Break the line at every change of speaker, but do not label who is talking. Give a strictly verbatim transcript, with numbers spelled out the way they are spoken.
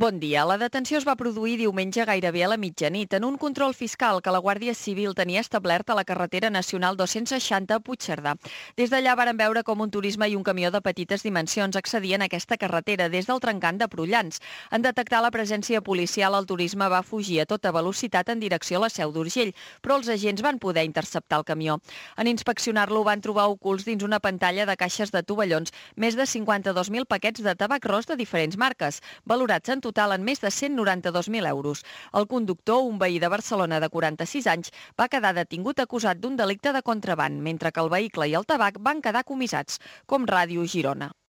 Bon dia. La detenció es va produir diumenge gairebé a la mitjanit en un control fiscal que la Guàrdia Civil tenia establert a la carretera nacional dos-cents seixanta a Puigcerdà. Des d'allà varen veure com un turisme i un camió de petites dimensions accedien a aquesta carretera des del trencant de Prullans. En detectar la presència policial, el turisme va fugir a tota velocitat en direcció a la Seu d'Urgell, però els agents van poder interceptar el camió. En inspeccionar-lo van trobar ocults dins una pantalla de caixes de tovallons més de cinquanta-dos mil paquets de tabac ros de diferents marques, valorats en total en més de cent noranta-dos mil euros. El conductor, un veí de Barcelona de quaranta-sis anys, va quedar detingut acusat d'un delicte de contraban, mentre que el vehicle i el tabac van quedar comissats, com Ràdio Girona.